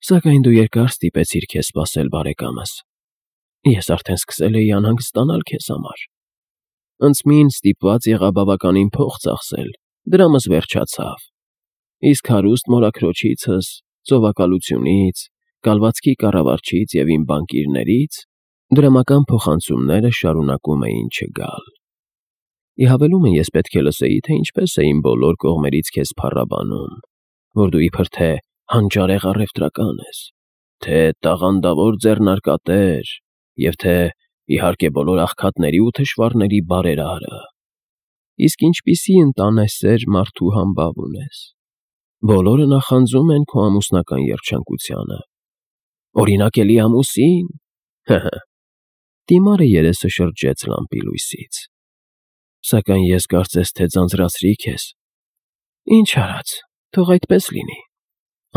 Սակայն դու երկար ստիպեցիր քեզ սպասել, բարեկամս։ Ես արդեն սկսել էի անհանգստանալ քեզ համար։ Անցմին ստիպված եղա բավականին փող ծախսել, դրամս վերջացավ։ Իսկ հարուստ մորաքրոջիցս, ծովակալությունից, կալվածքի կառավարչից և իմ բանկիրներից դրամական փոխանցումները շարունակում էին չգալ։ Ի հավելումը ես պետք է լսեի, թե ինչպես էին բոլոր կողմերից քեզ փառաբանում, որ դու իբր թե հանճարեղ առևտրական ես, թե տաղանդավոր ձեռնարկատեր և թե, իհարկե, բոլոր աղքատների ու թշվառների բարերարը, իսկ ինչպիսի ընտանեսեր մարդու համբավ ունես։ Բոլորը նախանձում են քո ամուսնական երջանկությանը։ Օրինակ էլի ամուսին… Դիմարը երեսը շրջեց լամպի լույսից։ Սակայն ես կարծես թե ձանձրացրի քեզ։ Ինչ արած, թող այդպես լինի,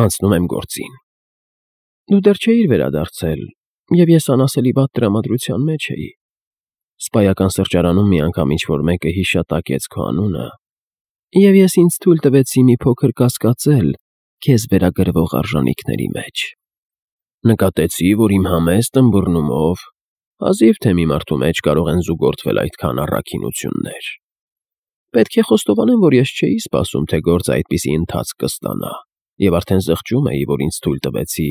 անցնում եմ գործին։ Դու դեռ չէիր վերադարձել, և ես անասելի վատ տրամադրության մեջ էի։ Սպայական սրճարանում մի անգամ ինչ-որ մեկը հիշատակեց քո անունը, և ես ինձ թույլ տվեցի մի փոքր կասկածել քեզ վերագրվող արժանիքների մեջ։ Նկատեցի, որ իմ համեստ ըմբռնումով հազիվ թե մի մարդու մեջ կարող են զուգորդվել այդքան առաքինություններ։ Պետք է խոստովանեմ, որ ես չէի սպասում, թե գործը այդպիսի ընթացք կստանա, և արդեն զղջում էի, որ ինձ թույլ տվեցի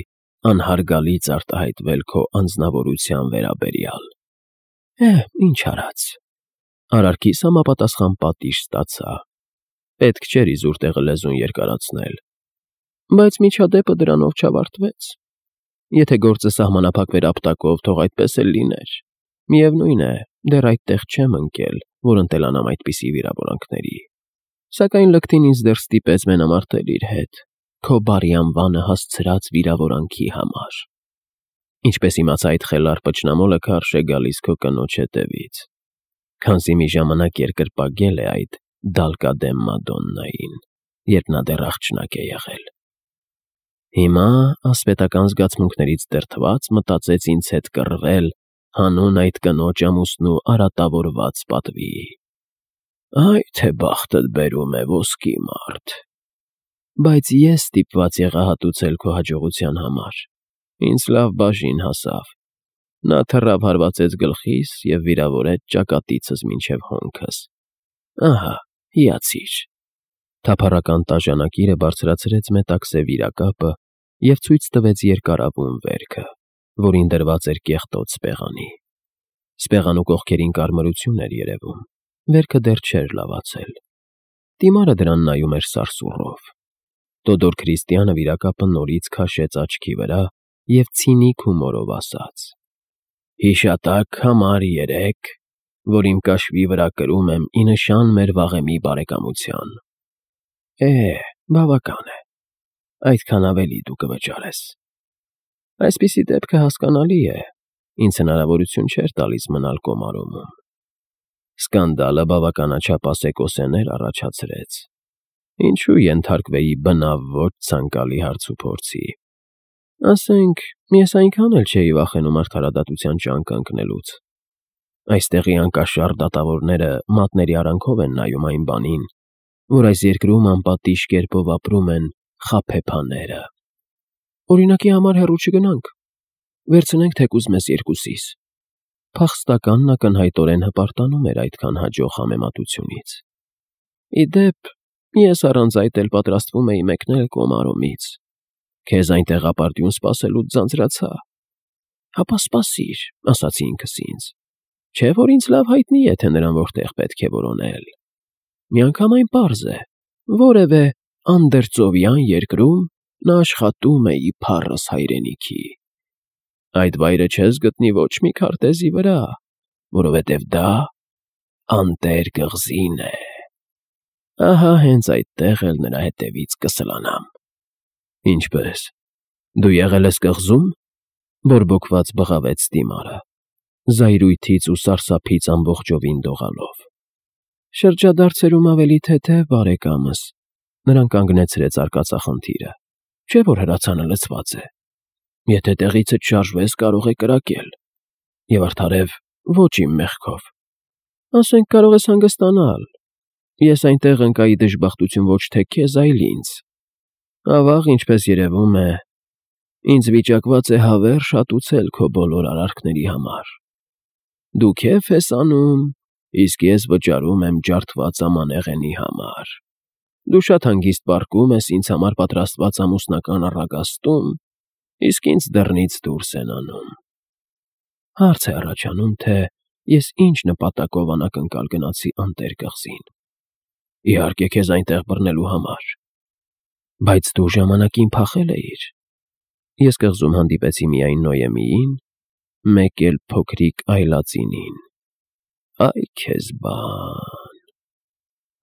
անհարգալից արտահայտվել քո անձնավորության վերաբերյալ։ Ինչ արած։ Արարքիս համապատասխան պատիժ ստացա։ Պետք չէր իզուր տեղը լեզուն երկարացնել։ Բայց միջադեպը դրանով չավարտվեց։ Եթե գործը սահմանափակվեր ապտակով, թող այդպես էլ լիներ։ Միևնույն է, դեռ այդտեղ չեմ ընկել, որ ընտելանամ այդպիսի վիրավորանքների։ Սակայն լկտին ինձ դեռ ստիպեց մենամարտել իր հետ, քո բարի անվանը հասցրած վիրավորանքի համար։ Ինչպես իմացա, այդ խելառ պճնամոլը քարշ է գալիս քո կնոջ հետևից, քանզի մի ժամանակ երկրպագել է այդ դալկադեմ Մադոննային, երբ նա դեռ աղջնակ է եղել։ Հիմա, ասպետական զգացմունքներից դրդված, մտածեց ինձ հետ կռվել հանուն այդ կնոջ ամուսնու արատավորված պատվի։ Այ թե բախտդ բերում է ոսկի մարդ։ Բայց ես ստիպված եղա հատուցել քո հաջողության համար։ Ինձ լավ բաժին հասավ։ Նա թռավ հարվածեց գլխիս և վիրավորեց ճակատիցս մինչև հոնքս։ Ահա, հիացիր։ Թափառական տաժանակիրը բարձրացրեց մետաքսե վիրակապը և ցույց տվեց երկարավուն վերքը, որին դրված էր կեղտոտ սպեղանի։ Սպեղանու կողքերին կարմրություն էր երևում, վերքը դեռ չէր լավացել։ Դիմարը դրան նայում էր սարսուռով։ Տոդոր Քրիստիանը վիրակապը նորից քաշեց աչքի վրա և ցինիկ հումորով ասաց. Հիշատակ համար 3, որ իմ կաշվի վրա կրում եմ ի նշան մեր վաղեմի բարեկամության։ Բավական է, այդքան ավելի դու կվճարես։ Այսպիսի դեպքը հասկանալի է, ինձ հնարավորություն չէր տալիս մնալ Կոմարովում։ Սկանդալը բավականաչափ ասեկոսեներ առաջացրեց։ Ինչու ենթարկվեի բնավ ոչ ցանկալի հարցուփորձի։ Ասենք, ես այնքան էլ չէի վախենում արդարադատության ճանկը ընկնելուց։ Այստեղի անկաշառ դատավորները մատների արանքով են նայում այն բանին, որ այս երկրում անպատիժ կերպով ապրում են խաբեբաները։ Օրինակի համար հեռու չգնանք։ Վերցնենք թեկուզ մեզ երկուսիս։ Փախստականն ակնհայտորեն հպարտանում էր այդքան հաջող համեմատությունից։ Ի դեպ, ես առանց այդ էլ պատրաստվում էի մեկնել Կոմարոմից։ Քեզ այնտեղ ապարդյուն սպասելուց ձանձրացա։ Հապա սպասիր, ասացի ինքս ինձ։ Չէ՞ որ ինձ լավ հայտնի է, թե նրան որտեղ պետք է որոնել։ Միանգամայն պարզ է, որևէ անդերծովյան երկրում նա աշխատում է իբառս հայրենիքի։ Այդ վայրը չես գտնի ոչ մի քարտեզի վրա, որովհետև դա անտեր կղզին է։ Ահա հենց այդտեղ էլ նրա հետևից կսլանամ։ Ինչպե՞ս, դու եղել ես կղզում, բորբոքված բղավեց Դիմարը, զայրույթից ու սարսափից ամբողջովին դողալով։ Շրջադարձերում ավելի թեթև, բարեկամս, նրան կանգնեցրեց արկածախնդիրը, չէ՞ որ հրացանը լցված է։ Եթե տեղիցդ շարժվես, կարող է կրակել։ Եվ արդարև ոչ իմ մեղքով։ Ասենք, կարող ես հանգստանալ։ Ես այնտեղ ընկայի դժբախտություն ոչ թե քեզ, այլ ինձ։ Ավաղ, ինչպես երևում է, Ինձ վիճակված է հավերժ հատուցել քո բոլոր արարքների համար։ Դու քեֆ ես անում, իսկ ես վճարում եմ ջարդված ամանեղենի համար։ Դու շատ հանգիստ պառկում ես ինձ համար պատրաստված ամուսնական առագաստում, իսկ ինձ դռնից դուրս են անում։ Հարց է առաջանում, թե ես ինչ նպատակով անակնկալ գնացի անտեր կղզին։ Իհարկե, քեզ այնտեղ բռնելու համար։ Բայց դու ժամանակին փախել էիր։ Ես կղզում հանդիպեցի միայն Նոյեմիին, մեկ էլ փոքրիկ այլածինին։ Այ քեզ բան…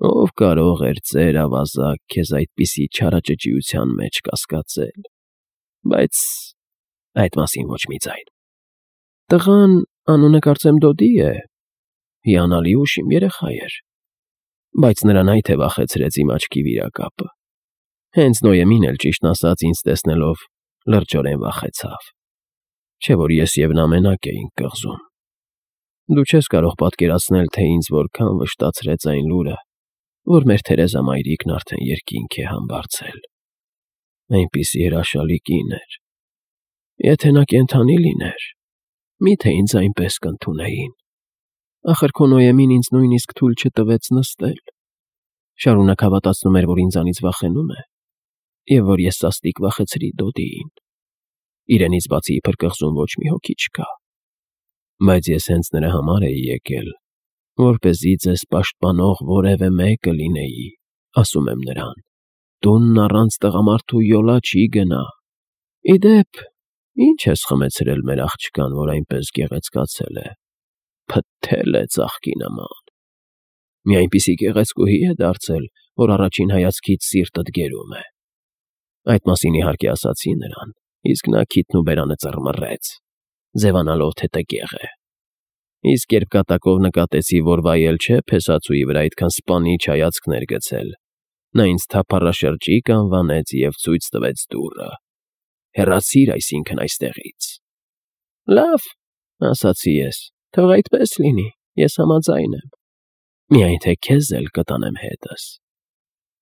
Ով կարող էր ծեր ավազակ քեզ այդպիսի չարաճճիության մեջ կասկածել, բայց այդ մասին ոչ մի ձայն։ Տղան, անունը կարծեմ Դոդի է, հիանալի ուշիմ երեխա էր, բայց նրան այդ է վախեցրեց իմ աչքի վիրակապը։ Հենց Նոյեմին էլ, ճիշտն ասած, ինձ տեսնելով լրջորեն վախեցավ, չէ՞ որ ես և նա մենակ էինք կղզում։ Դու չես կարող պատկերացնել, թե ինձ որքան վշտացրեց այն լուրը, որ մեր Թերեզամայրիկն արդեն երկինք է համբարձել։ Այնպիսի հրաշալի կին էր։ Եթե նա կենդանի լիներ, մի՞թե ինձ այնպես կընդունեին։ Ախր քո Նոյեմին ինձ նույնիսկ թույլ չտվեց նստել։ Շարունակ հավատացնում էր, որ ինձանից վախենում է, և որ ես սաստիկ վախեցրի Դոդիին։ Իրենից բացի իբր կղզում ոչ մի հոգի չկա։ Բայց ես հենց նրա համար էի եկել, որպեսզի ձեզ պաշտպանող որևէ մեկը լինեի, ասում եմ նրան։ Տունն առանց տղամարդու յոլա չի գնա։ Ի դեպ, ի՞նչ ես խմեցրել մեր աղջկան, որ այնպես գեղեցկացել է։ Փթթել է ծաղկի նման։ Մի այնպիսի գեղեցկուհի է դարձել, որ առաջին հայացքից սիրտդ գերում է։ Այդ մասին իհարկե ասացի նրան, իսկ նա քիթն ու բերանը ծռմռեց, ձևանալով, թե տգեղ է։ Իսկ երբ կատակով նկատեցի, որ վայել չէ փեսացուի վրա այդքան սպանիչ հայացքներ գցել, նա ինձ թափառաշրջիկ անվանեց և ցույց տվեց դուռը։ Հեռացիր այսինքն այստեղից։ Լավ, ասացի ես, թող այդպես լինի, ես համաձայն եմ։ Միայն թե քեզ էլ կտանեմ հետս։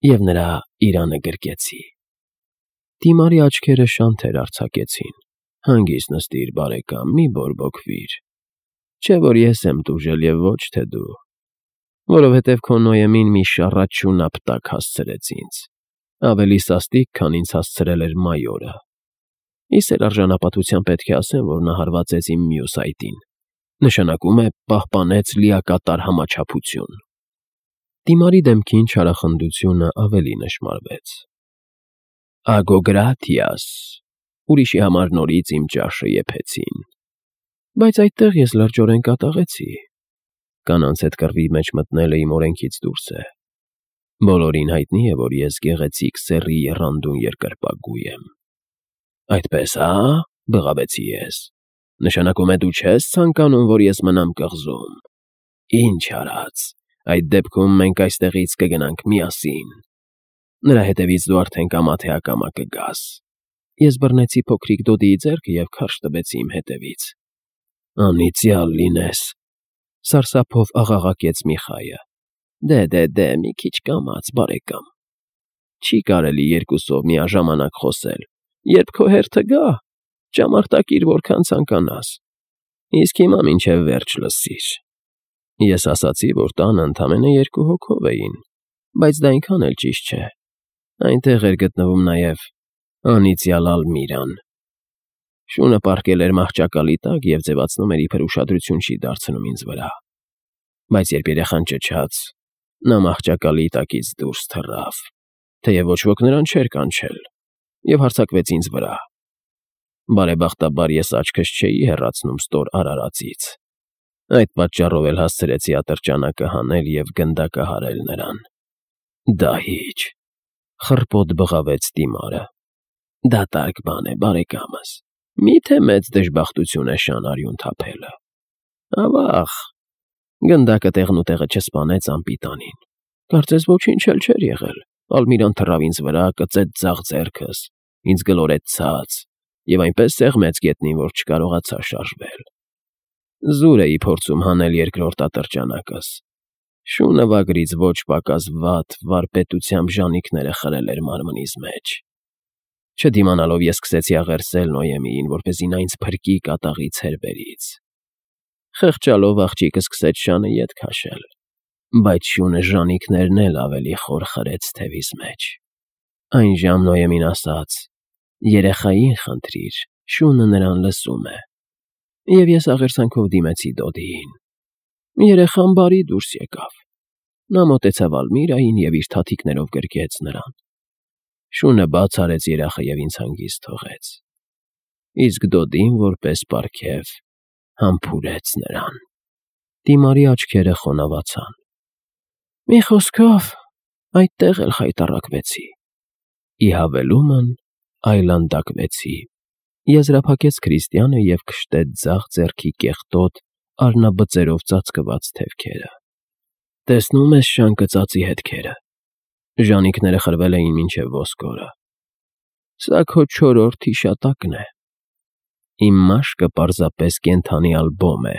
Եվ նրա իրանը գրկեցի։ Դիմարի աչքերը շանթեր արձակեցին։ Հանգիստ նստիր, բարեկամ, մի բորբոքվիր։ Չէ՞ որ ես եմ տուժել և ոչ թե դու, որովհետև քո Նոյեմին մի շառաչուն ապտակ հասցրեց ինձ, ավելի սաստիկ, քան ինձ հասցրել էր մայորը։ Իսեր արժանապատվությամբ պետք է ասեմ, որ նա հարվածեց իմ մյուս այտին, նշանակում է պահպանեց լիակատար համաչափություն։ Դիմարի դեմքին չարախնդությունը ավելի նշմարվեց։ Ագոգրաթիաս, ուրիշի համար նորից իմ ճաշը եփեցին։ Բայց այդտեղ ես լրջորեն կատաղեցի։ Կանանց հետ կռվի մեջ մտնելը իմ օրենքից դուրս է։ Բոլորին հայտնի է, որ ես գեղեցիկ սեռի եռանդուն երկրպագու եմ։ Այդպես, հա՞, բղավեցի ես։ Նշանակում է դու չես ցանկանում, որ ես մնամ կղզում։ Ինչ արած, այդ դեպքում մենք այստեղից կգնանք միասին։ Նրա հետևից դու արդեն կամա թե ակամա կգաս։ Ես բռնեցի փոքրիկ Դոդիի ձեռքը և քարշ տվեցի իմ հետևից։ Անիծյալ լինես, սարսափով աղաղակեց Միխայը։ Դե, մի քիչ կամաց, բարեկամ։ Չի կարելի երկուսով միաժամանակ խոսել։ Երբ քո հերթը գա, ճամփորդիր որքան ցանկանաս։ Իսկ հիմա մինչև վերջ լսիր։ Ես ասացի, որ տանը ընդամենը 2 հոգով էին, բայց դա այնքան էլ ճիշտ չէ։ Այնտեղ էր գտնվում նաև անիծյալ Ալմիրան։ Շունը պառկել էր մահճակալի տակ և ձևացնում էր, իբր ուշադրություն չի դարձնում ինձ վրա։ Բայց երբ երեխան ճչաց, նա մահճակալի տակից դուրս թռավ, թեև ոչ ոք նրան չէր կանչել, և հարձակվեց ինձ վրա։ Բարեբախտաբար ես աչքս չէի հեռացնում ստոր արարածից։ Այդ պատճառով էլ հասցրեցի ատրճանակը հանել և գնդակահարել նրան։ Դահիճ, խռպոտ բղավեց Դիմարը։ Դատարկ բան է, բարեկամս, մի՞թե մեծ դժբախտություն է շան արյուն թափելը։ Ավաղ, գնդակը տեղնուտեղը չսպանեց անպիտանին։ Կարծես ոչինչ էլ չէր եղել։ Ալմիրան թռավ ինձ վրա, կծեց ձախ ձեռքս, ինձ գլորեց ցած և այնպես սեղմեց գետնին, որ չկարողացա շարժվել։ Զուր էի փորձում հանել երկրորդ ատրճանակս։ Շունը վագրից ոչ պակաս վատ, վարպետությամբ ժանիքները խրել էր մարմնիս մեջ։ Չդիմանալով ես սկսեցի աղերսել Նոյեմիին, որպեսզի նա ինձ փրկի կատաղի ցերբերից։ Խղճալով աղջիկը սկսեց շանը ետ քաշել, բայց շունը ժանիքներն էլ ավելի խոր խրեց թևիս մեջ։ Այն ժամ Նոյեմին ասաց. «Երեխային խնդրիր, շունը նրան լսում է»։ Եվ ես աղերսանքով դիմեցի Դոդիին։ Երեխան բարի դուրս եկավ։ Նա մոտեցավ Ալմիրային և իր թաթիկներով գրկեց նրան։ Շունը բաց արեց երախը և ինձ հանգիստ թողեց։ Իսկ Դոդին, որպես պարգև, համբուրեց նրան։ Դիմարի աչքերը խոնավացան։ Մի խոսքով, այդտեղ էլ խայտառակվեցի։ Ի հավելումն այլանդակվեցի, եզրափակեց Քրիստիանը և քշտեց ձախ ձեռքի կեղտոտ, արնաբծերով ծածկված թևքերը։ Տեսնում ես շան կծածի հետքերը։ Ժանիքները խրվել էին մինչև ոսկորը։ Սա քո 4-րդ հիշատակն է։ Իմ մաշկը պարզապես կենդանի ալբոմ է,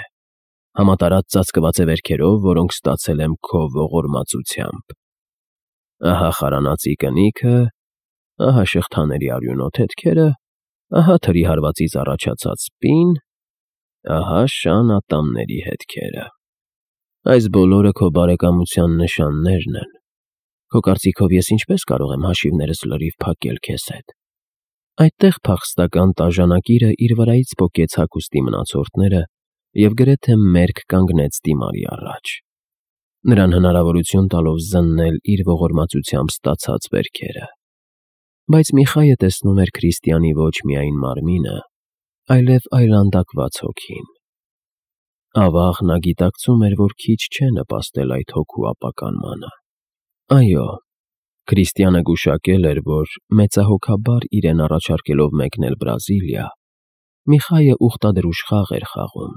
համատարած ծածկված է վերքերով, որոնք ստացել եմ քո ողորմածությամբ։ Ահա խարանածի կնիքը, ահա շղթաների արյունոտ հետքերը, ահա թրի հարվածից առաջացած պին, ահա շան ատամների հետքերը։ Այս բոլորը քո բարեկամության նշաններն են։ Քո կարծիքով ես ինչպես կարող եմ հաշիվներս լրիվ փակել քեզ հետ։ Այդտեղ փախստական տաժանակիրը իր վրայից պոկեց հագուստի մնացորդները և գրեթե մերկ կանգնեց Դիմարի առաջ, նրան հնարավորություն տալով զննել իր ողորմածությամբ ստացած վերքերը։ Բայց Միխայը տեսնում էր Քրիստիանի ոչ միայն մարմինը, այլև այլանդակված հոգին։ Ավաղ նա գիտակցում էր, որ քիչ չէ նպաստել այդ հոգու ապականմանը։ Այո, Քրիստիանը գուշակել էր, որ մեծահոգաբար իրեն առաջարկելով մեկնել Բրազիլիա, Միխայը ուխտադրուժ խաղ էր խաղում,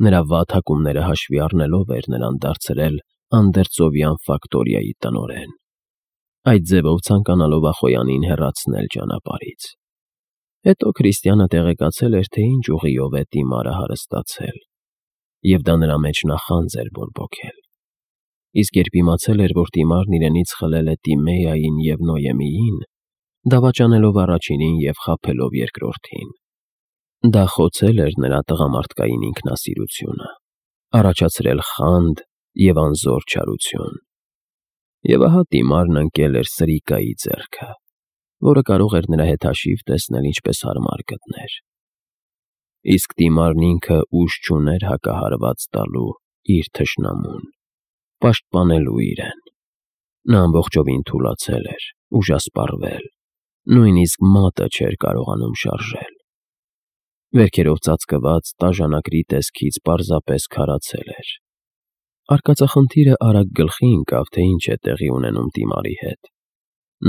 նրա վատ հակումները հաշվի առնելով էր նրան դարձրել անդերձովյան ֆակտորիայի տնօրեն, այդ ձևով ցանկանալով Ախոյանին հեռացնել ճանապարհից։ Հետո Քրիստիանը տեղեկացել էր, թե ինչ ուղիով է Դիմարը հարստացել, և դա նրա մեջ նախանձ էր բորբոքել։ Իսկ երբ իմացել էր, որ Դիմարն իրենից խլել է Տիմեային և Նոյեմիին, դավաճանելով առաջինին և խաբելով երկրորդին, դա խոցել էր նրա տղամարդկային ինքնասիրությունը, առաջացրել խանդ և անզոր չարություն։ Եվ ահա Տիմարն ընկել էր սրիկայի ձեռքը, որը կարող էր նրա հետ հաշիվ տեսնել ինչպես հարմար գտներ։ Իսկ Տիմարն ինքը ուժ չուներ հակահարված տալու իր թշնամուն, պաշտպանելու իրեն։ Նա ամբողջովին թուլացել էր, ուժասպառվել, նույնիսկ մատը չէր կարողանում շարժել։ Վերքերով ծածկված տաժանակրի տեսքից պարզապես քարացել էր։ Արկածախնդիրը արագ գլխի ընկավ, թե ինչ է տեղի ունենում Տիմարի հետ։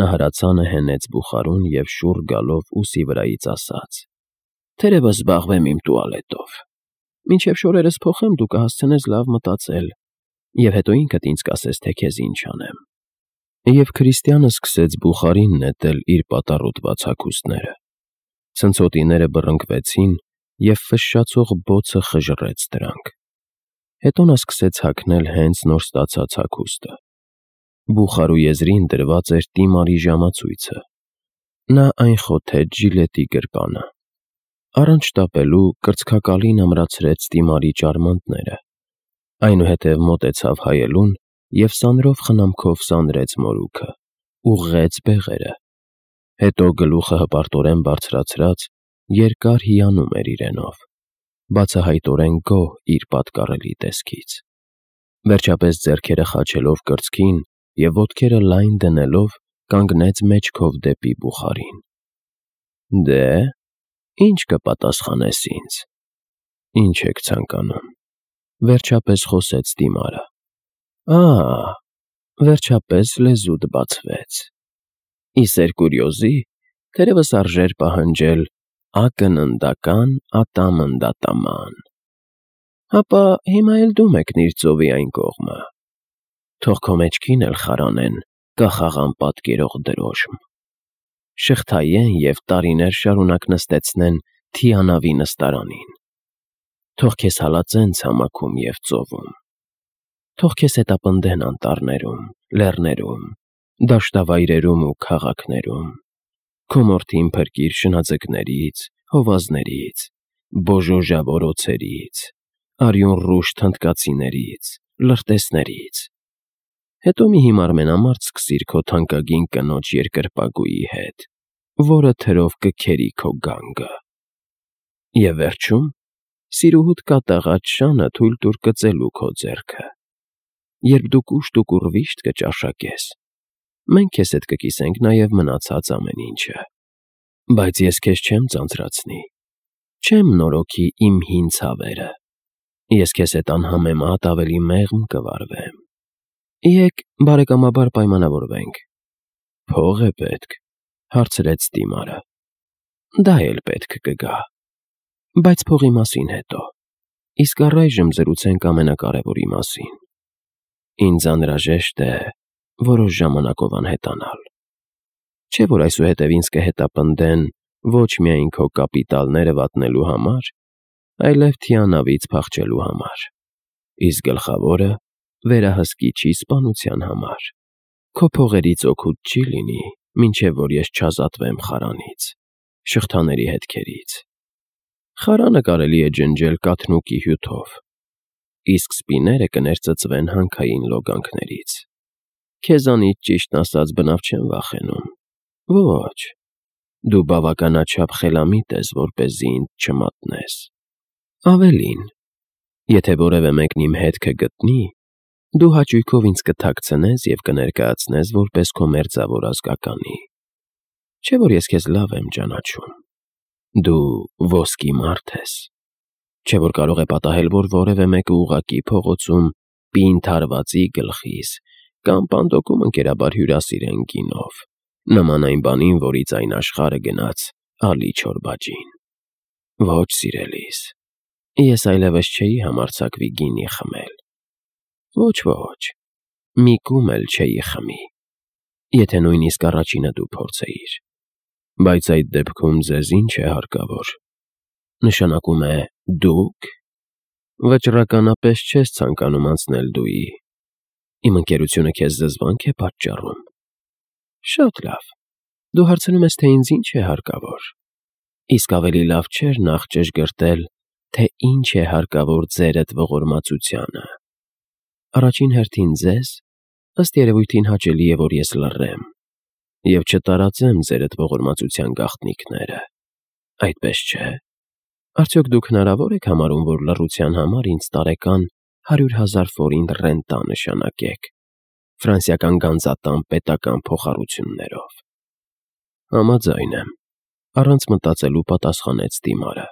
Նա հրացանը հենեց բուխարուն և շուռ գալով ուսի վրայից ասաց. «Թերևս զբաղվեմ իմ տուալետով։ Մինչև շորերս փոխեմ, դու կհասցնես լավ մտածել, և հետո ինքդ ինձ կասես, թե քեզ ինչ անեմ»։ Եվ Քրիստիանը սկսեց բուխարին նետել իր պատառոտված հագուստները։ Ցնցոտիները բռնկվեցին, և ֆշշացող բոցը խժռեց դրանք։ Հետո նա սկսեց հագնել հենց նոր ստացած հագուստը։ Բուխարու եզրին դրված էր Տիմարի ժամացույցը։ Նա այն խոթեց ժիլետի գրպանը։ Առանց շտապելու կրծքակալին ամրացրեց Տիմարի ճարմանտները, այնուհետև մոտեցավ հայելուն և սանրով խնամքով սանրեց մորուքը, ուղղեց բեղերը։ Հետո գլուխը հպարտորեն բարձրացրած, երկար հիանում էր իրենով, բացահայտորեն գոհ իր պատկառելի տեսքից։ Վերջապես ձեռքերը խաչելով կրծքին և ոտքերը լայն դնելով, կանգնեց մեջքով դեպի բուխարին։ «Դե, ի՞նչ կպատասխանես ինձ։ Ինչ եք ցանկանում»։ Վերջապես խոսեց Դիմարը։ Վերջապես լեզուդ բացվեց։ Ի սեր կուրիոզի, թերևս արժեր պահանջել ակննդական ատամնդատաման։ Հապա հիմա էլ դու մեկնիր ծովի այն կողմը։ Թող քո մեջքին էլ խարանեն կախաղան պատկերող դրոշմ, շղթայեն և տարիներ շարունակ նստեցնեն թիանավի նստարանին։ Թող քեզ հալածեն ցամաքում և ծովում։ Թող քեզ հետապնդեն անտառներում, լեռներում, դաշտավայրերում ու քաղաքներում։ Քո մորթին փրկիր շնաձկներից, հովազներից, բոժոժավոր օձերից, արյուն ռուշ թնդկացիներից, լրտեսներից։ Հետո մի հիմար մենամարտ սկսիր քո թանկագին կնոջ երկրպագուի հետ, որը թրով կքերի քո գանգը։ Եվ վերջում սիրուհուդ կատաղած շանը թույլ տուր կծելու քո ձեռքը։ Երբ դու կուշտ ու վիշտ կճաշակես, մենք քեզ հետ կկիսենք նաև մնացած ամեն ինչը։ Բայց ես քեզ չեմ ձանձրացնի, չեմ նորոգի իմ հին ցավերը, ես քեզ հետ անհամեմատ ավելի մեղմ կվարվեմ։ Եկ բարեկամաբար պայմանավորվենք։ Փող է պետք, հարցրեց Տիմարը։ Դա էլ պետք կգա, բայց փողի մասին հետո, իսկ առայժմ զրուցենք ամենակարևորի մասին։ Ինձ անհրաժեշտ է որոշ ժամանակով անհետանալ։ Չէ՞ որ այսուհետև ինձ կհետապնդեն ոչ միայն քո կապիտալները վատնելու համար, այլև թիանավից փախչելու համար, իսկ գլխավորը վերահսկիչի սպանության համար։ Քո փողերից օգուտ չի լինի, մինչև որ ես չազատվեմ խարանից, շղթաների հետքերից։ Խարանը կարելի է ջնջել կաթնուկի հյութով, իսկ սպիները կներծծվեն հանքային լոգանքներից։ Քեզանից ճիշտն ասած բնավ չեմ վախենում։ Ոչ, դու բավականաչափ խելամիտ ես, որպեսզի ինձ չմատնես։ Ավելին, եթե որևէ մեկն իմ հետքը գտնի, դու հաճույքով ինձ կթաքցնես և կներկայացնես որպես քո մերձավոր ազգականի։ Չէ՞ որ ես քեզ լավ եմ ճանաչում։ Դու ոսկի մարդ ես։ Չէ՞ որ կարող է պատահել, որ որևէ մեկը ուղղակի փողոցում պինդ հարվածի գլխիս կամ պանդոկում ընկերաբար հյուրասիրեն գինով, նման այն բանին, որից այն աշխարհը գնաց ալի չորբաջին։ Ոչ, սիրելիս, ես այլևս չէի համարձակվի գինի խմել։ Ոչ, մի կում էլ չէի խմի, եթե նույնիսկ առաջինը դու փորձեիր։ Բայց այդ դեպքում ձեզ ինչ է հարկավոր։ Նշանակում է դուք վճռականապես չես ցանկանում անցնել դուի։ Իմ ընկերությունը քեզ զզվանք է պատճառում։ Շատ լավ, դու հարցնում ես, թե ինձ ինչ է հարկավոր։ Իսկ ավելի լավ չէր նախ ճշգրտել, թե ինչ է հարկավոր ձերդ ողորմածությանը։ Առաջին հերթին ձեզ, ըստ երևույթին հաճելի է, որ ես լռեմ և չտարածեմ ձերդ ողորմածության գաղտնիքները, այդպես չէ։ Արդյոք դուք հնարավոր եք համարում, որ լռության համար ինձ տարեկան 100,000 ֆորինտ ռենտա նշանակեք ֆրանսիական գանձատան պետական փոխառություններով։ Համաձայն եմ, առանց մտածելու պատասխանեց Տիմարը։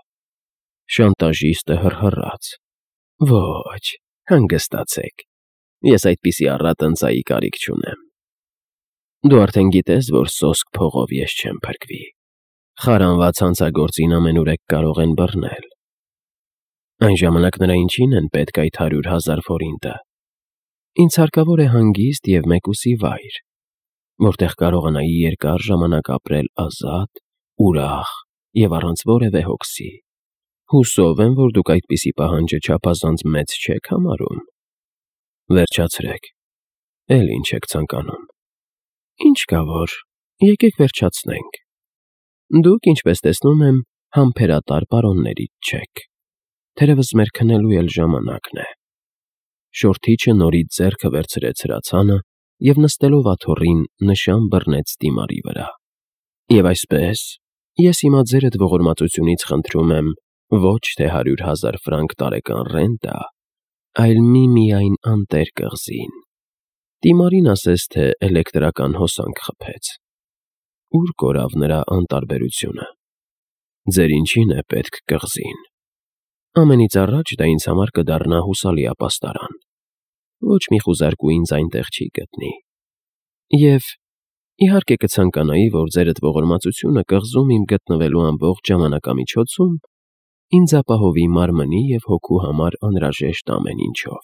Շանտաժիստը հռհռաց։ Ոչ, հանգստացեք, ես այդպիսի առատ ընծայի կարիք չունեմ։ Դու արդեն գիտես, որ սոսկ փողով ես չեմ փրկվի։ Խարանված հանցագործին ամենուրեք կարող են բռնել։ Այն ժամանակ նրա ինչին են պետք այդ 100,000 ֆորինտը։ Ինձ հարկավոր է հանգիստ և մեկուսի վայր, որտեղ կարողանայի երկար ժամանակ ապրել ազատ, ուրախ և առանց որևէ հոգսի։ Հուսով եմ, որ դուք այդպիսի պահանջը չափազանց մեծ չեք համարում։ Վերջացրեք, էլ ինչ եք ցանկանում։ Ինչ կա որ, եկեք վերջացնենք։ Դուք, ինչպես տեսնում եմ, համբերատար պարոններից չեք։ Թերևս մեր քնելու էլ ժամանակն է։ Շորթիչը նորից ձեռքը վերցրեց հրացանը և նստելով աթոռին նշան բռնեց Տիմարի վրա։ Եվ այսպես, ես հիմա ձերդ ողորմածությունից խնդրում եմ ոչ թե 100,000 ֆրանկ տարեկան ռենտա, այլ միմիայն անտեր կղզին։ Տիմարին ասես, թե էլեկտրական հոսանք խփեց։ Ուր կորավ նրա անտարբերությունը։ Ձեր ինչին է պետք կղզին։ Ամենից առաջ դա ինձ համար կդառնա հուսալի ապաստարան։ Ոչ մի խուզարկու ինձ այնտեղ չի գտնի։ Եվ իհարկե կցանկանայի, որ ձերդ ողորմածությունը կղզում իմ գտնվելու ամբողջ ժամանակամիջոցում ինձ ապահովի մարմնի և հոգու համար անհրաժեշտ ամեն ինչով։